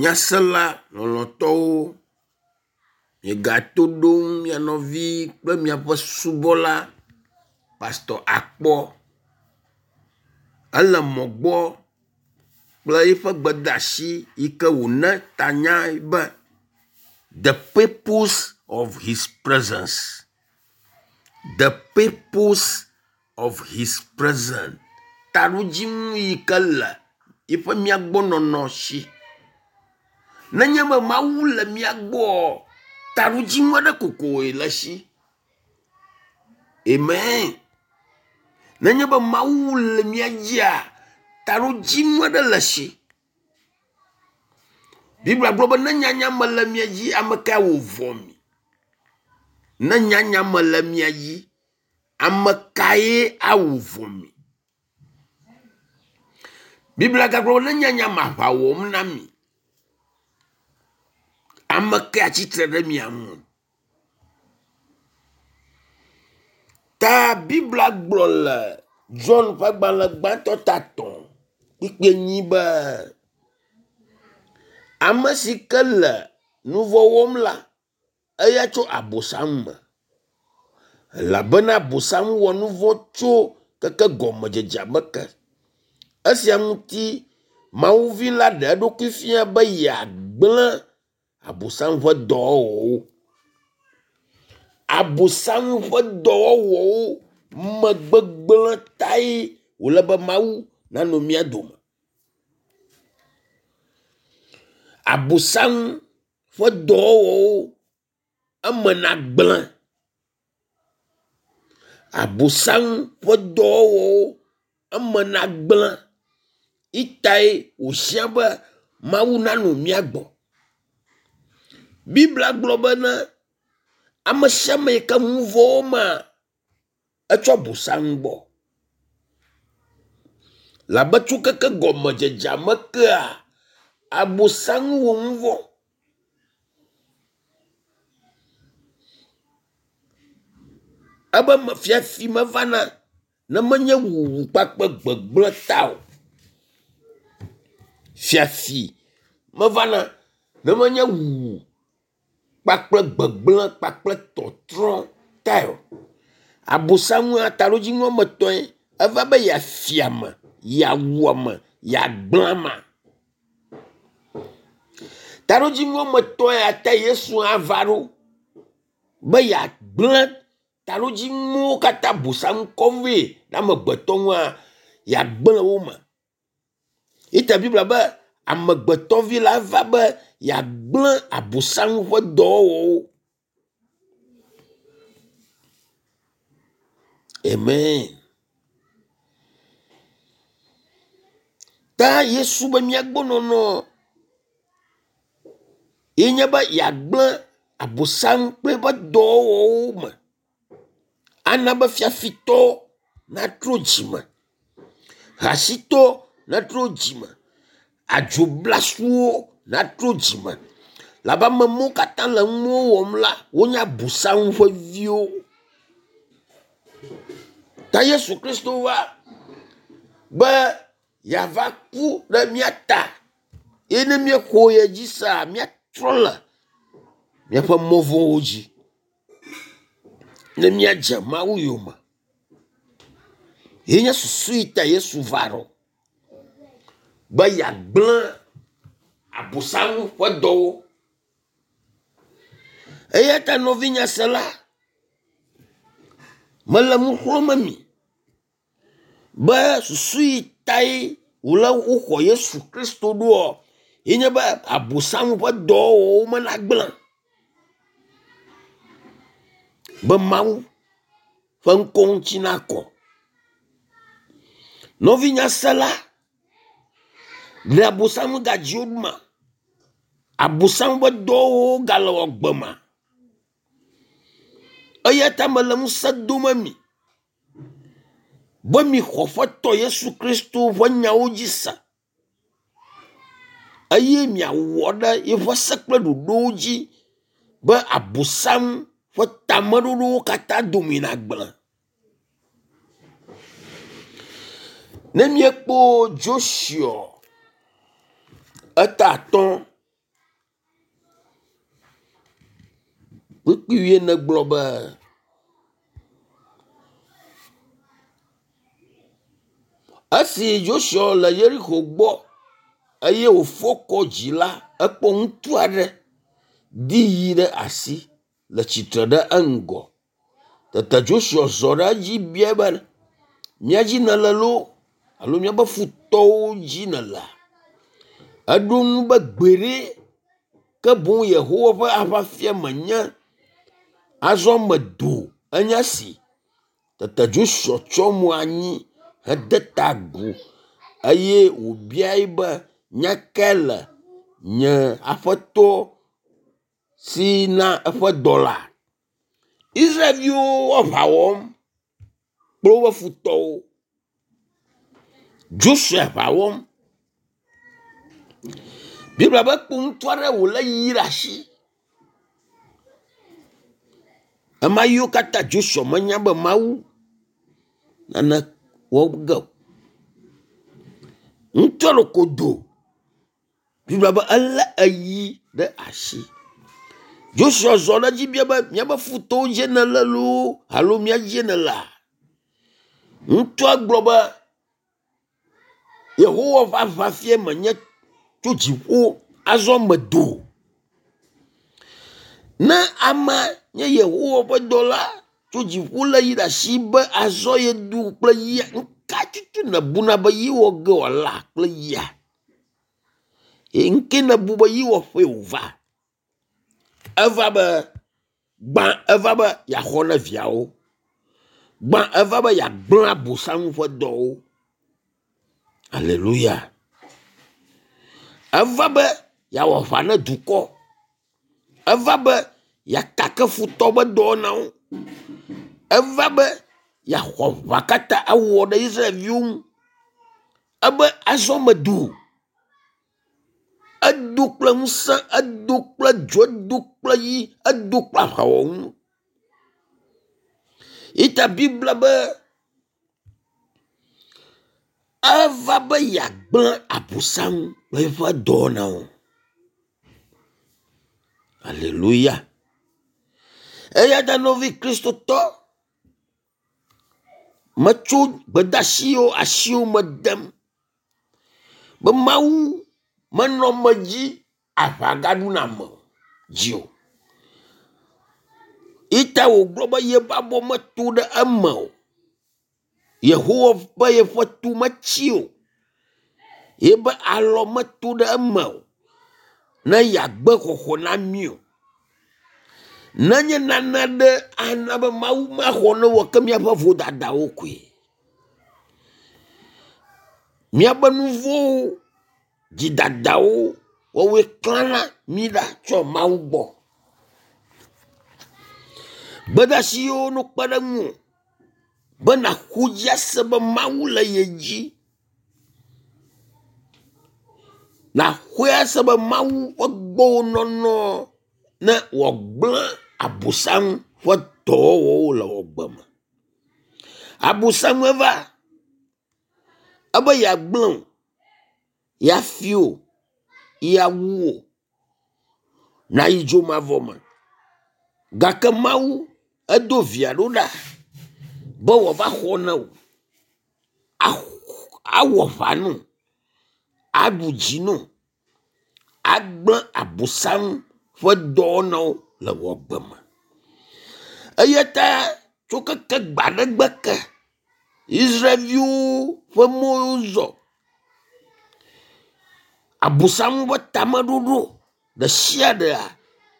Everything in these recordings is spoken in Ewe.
Nyasela lɔlɔ̃tɔwo, miegato ɖom mia nɔvi kple miaƒe subɔla Pastor Akpɔ. Ele mɔ gbɔ kple eƒe gbedeasi yi ke wòna tanyae be “The purpose of his presence. The purpose of his presence.” Taɖodzinu yi ke le yiƒe míagbɔnɔnɔ si. Nenye be Mawu le mía gbɔa, taɖodzinu aɖe kokoe le esi. Amen. Nenye be Mawu le mía dzia, taɖodzinu aɖe le esi. Biblia gblɔ be ne nyanya mele mia dzi, ame kae wɔ vɔ̃ mi? Ne nyanya mele mia dzi, ame kae awɔ vɔ̃ mi? Biblia gagblɔ be ne nyanya me aʋa wɔm na mi, ame kae atsitre ɖe mia ŋu? Ta Biblia gblɔ le John ƒe agbalẽ gbãtɔ ta 3 kpukpui 4 be ame si ke le nu vɔ̃ wɔm la, eya tso Abosam me. Elabena Abosam wɔ nu vɔ̃ tso keke gɔmedzedzea me ke. Esia ŋuti Mawu vi la ɖe eɖokui fia be yeagblẽ Abosam ƒe dɔwɔwɔwo. Abosam ƒe dɔwɔwɔwo me gbegblẽ tae wòle be Mawu nanɔ mía dome. Abosam ƒe dɔwɔwɔwo eme nagblẽ. Abosam ƒe dɔwɔwɔwo eme nagblẽ. Itae wòhiã be Mawu nanɔ mía gbɔ. Biblia gblɔ bena ame sia ame yi ke nu vɔ̃ wɔmaa, etsɔ Abosam gbɔ. Labe tso keke gɔmedzedzea me kea, Abosam wɔ nu vɔ̃. Ebe fiafi mevana ne menye wuwu kpakple gbegblẽ ta o. Fiafi mevana ne menye wuwu kpakple gbegblẽ kpakple tɔtrɔ tae o. Abosam taɖodzinu woame etɔ̃e eva be yeafi ame, yeawu ame, yeagblẽ amea. Taɖodzinu woame etɔ̃ ya ta Yesu ava ɖo be yeagblẽ taɖodzinuwo katã Abosam kɔ vɛ na amegbetɔ ŋua, yeagblẽ wo me. Ita Biblia be amegbetɔvi la va be yeagblẽ Abosam ƒe dɔwɔwɔwo. Amen. Ta Yesu be míagbɔ nɔnɔ ye nye be yeagblẽ Abosam kple eƒe dɔwɔwɔwo me. Ana be fiafitɔ natrɔ dzime, hasitɔ natrɔ dzime, adzoblasuwo natrɔ dzime. Labe ame mawo katã le nuwo wɔm la, wonye Abosam ƒe viwo. Ta Yesu Kristo va be yeava ku ɖe mía ta ye ne míexɔ ye dzi sea, míatrɔ le míaƒe mɔ vɔ̃wo dzi ne míadze Mawu yome. Ye nye susu yi ta Yesu va ɖo be yeagblẽ Abosam ƒe dɔwo. Eya ta nɔvi nyasela, mele nu xlɔ̃m mi be susu yi tae wòle woxɔ Yesu Kristo ɖoa ye nye be Abosam ƒe dɔwɔwɔwo me nagblẽ. Be Mawu ƒe ŋkɔ ŋuti nakɔ. Nɔvi nyasela, ɖe Abosam gadzi wo ma? Abosam ƒe dɔwɔwɔwo gale wɔ gbe ma? Eya ta mele ŋusẽ dom mi be mixɔ Aƒetɔ Yesu Kristo ƒe nyawo dzi se eye miawɔ ɖe yeƒe se kple ɖoɖowo dzi be Abosam ƒe tameɖoɖowo katã dome nagblẽ. Ne míekpɔ Joshua eta 5. Kpukpui wuiene gblɔ be, Esi Yosua le Yerixo gbɔ eye wòfɔ kɔ dzi la, ekpɔ ŋutsu aɖe di yi ɖe asi le tsitre ɖe eŋgɔ. Tete Joshua zɔ ɖe edzi biae be, mía dzi nèle loo alo míaƒe futɔwo dzi nèlea? Eɖo ŋu be gbeɖe, ke boŋ Yehowa ƒe aʋafia menye. Azɔ medo enye si. Tete Joshua tsyɔ mo anyi hede ta agu eye wòbiae be, nya kae le nye aƒetɔ si na eƒe dɔla? Israelviwo aʋa wɔm kple woƒe futɔwo. Joshua aʋa wɔm. Biblia be kpo ŋutsu aɖe wòlé yi ɖe asi. Ema yiwo katã Joshua menya be Mawu nane wɔ ge o. Ŋutsua ɖeko do. Biblia be elé eyi ɖe asi. Joshua zɔ ɖe edzi bia be míaƒe futɔwo dzie nèle loo alo mía dzie nèlea? Ŋutsua gblɔ be Yehowa ƒe aʋafia menye tso dziƒo azɔ medo. Ne ame nye Yehowa ƒe dɔla tso dziƒo lé yi ɖe asi be azɔ yedo kple yia, nuka tutu nèbuna be ye wɔ ge wòala kple yia? Ŋke nèbu be ye wɔƒee wòva? Eva be gbã eva be yeaxɔ na viawo. Gbã eva be yeagblẽ Abosam ƒe dɔwo. Aleluya. Eva be yeawɔ aʋa na dukɔ. Eva be yeakake futɔ ƒe dɔwɔnawo. Eva be yeaxɔ aʋa katã awɔ ɖe Israelviwo ŋu. Ebe azɔ medo. Edo kple ŋusẽ, edo kple dzo, edo kple yi, edo kple aʋawɔnu. Ita Biblia be eva be yeagblẽ Abosam kple eƒe dɔwɔnawo. Aleluya. Eya ta nɔvi Kristotɔ, metso gbedeasiwo asiwo me dem be Mawu menɔ me dzi aʋa gaɖuna ame o dzi o. Ita wògblɔ be yeƒe abɔ meto ɖe eme o. Yehowa be yeƒe to metsi o. Yeƒe alɔ meto ɖe eme o. Ne yeagbe xɔxɔ na mí o. Nenye nane aɖe ana be Mawu maxɔ ne wɔ ke míaƒe vodadawo koe. Míaƒe nu vɔ̃wo, dzidadawo, woawoe klãna mí ɖa tso Mawu gbɔ. Gbedeasi yiwo no kpe ɖe ŋuwò be nàxɔ dzi ase be Mawu le ye dzi. Nàxɔe ase be Mawu ƒe gbɔwò nɔnɔ ne wòagblẽ Abosam ƒe dɔwɔwɔwo le wò agbe me. Abosam eva ebe yeagblẽ wò, yeafi wò, yeawu wò, nàyi dzomavɔ me. Gake Mawu edo via ɖo ɖa be wòava xɔ na wò, awɔ aʋa nɔ, aɖu dzi nɔ, agblẽ Abosam ƒe dɔwɔnawo le wò agbe me. Eya ta tso keke gbe aɖe gbe ke, Israelviwo ƒe mɔwo zɔ. Abosam ƒe tameɖoɖo ɖe sia ɖea,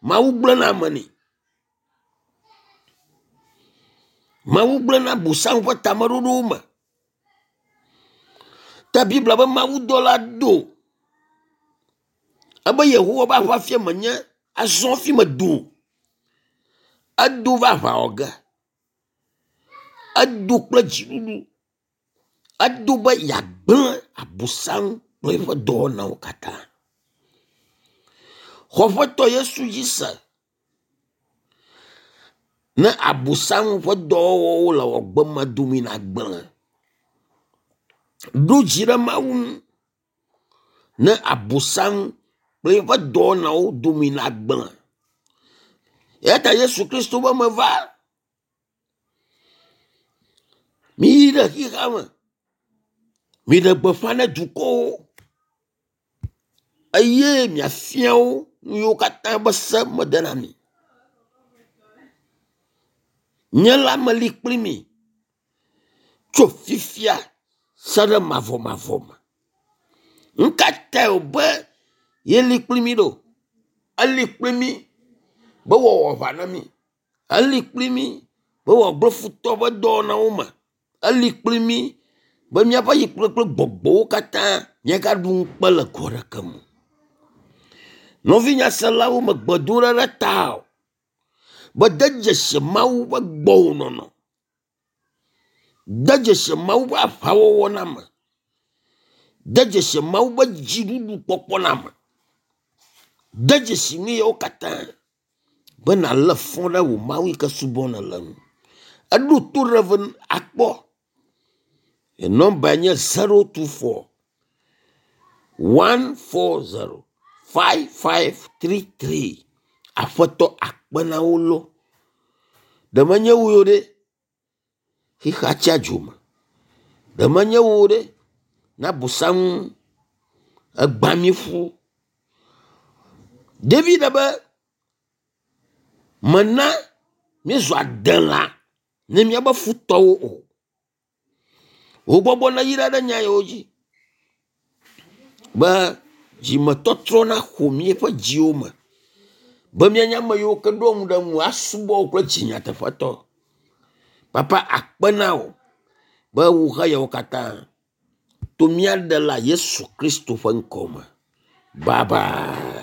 Mawu gblẽna eme nɛ. Mawu gblẽna Abosam ƒe tameɖoɖowo me. Ta Biblia be mawudɔla do ebe Yehowa ƒe aʋafia menye azɔ hafi medo. Edo va aʋa wɔ ge. Edo kple dziɖuɖu. Edo be yeagblẽ Abosam kple eƒe dɔwɔnawo katã. Xɔ Aƒetɔ Yesu dzi se. Ne Abosam ƒe dɔwɔwɔwo le wò agbe me dome nagblẽ. Ɖo dzi ɖe Mawu ŋu. Ne Abosam kple eƒe dɔwɔnawo dome nagblẽ. Eya ta Yesu Kristo be meva. Miyi ɖe xexea me. Miɖe gbeƒã ne dukɔwo eye miafia wo nu yiwo katã be se mede na mi. Nye la meli kpli mi tso fifia se ɖe mavɔmavɔ me. Nu ka tae wòbe yeli kpli mí ɖo? Eli kpli mí be wòawɔ aʋa na mí. Eli kpli mí be wòagblẽ futɔ ƒe dɔwɔnawo me. Eli kpli mí be míaƒe yi kple gbɔgbɔwo katã míagaɖu ŋukpe le go aɖeke me o. Nɔvi nyaselawo me gbedoɖa ɖe ta o be de dzesi Mawu ƒe gbɔwò nɔnɔ. De dzesi Mawu ƒe aʋawɔwɔ na ame. De dzesi Mawu ƒe dziɖuɖu kpɔkpɔ na ame. De dzesi nu yawo katã be nàlé fɔ ɖe wò Mawu yi ke subɔm nèle ŋu. Eɖo to Rev. Akpɔ. Nɔmbae nye 024 140 5533. Aƒetɔ akpe na wo lo. Ɖe menye wò ɖe xexea tsia dzo me. Ɖe menye wò ɖe na Abosam egbã mi ƒu. David be mena míezu adelã ne míabe futɔwo o. Wò gbɔgbɔ neyra ɖe nya yawo dzi be dzimetɔtrɔ naxɔ míaƒe dziwo me be míanye ame yiwo ke ɖo ŋu ɖe ŋu asubɔ wò kple dzi nyateƒetɔ. Papa akpe na wò be wò xeyawo katã to mía ɖela Yesu Kristo ƒe ŋkɔ me. Bye bye.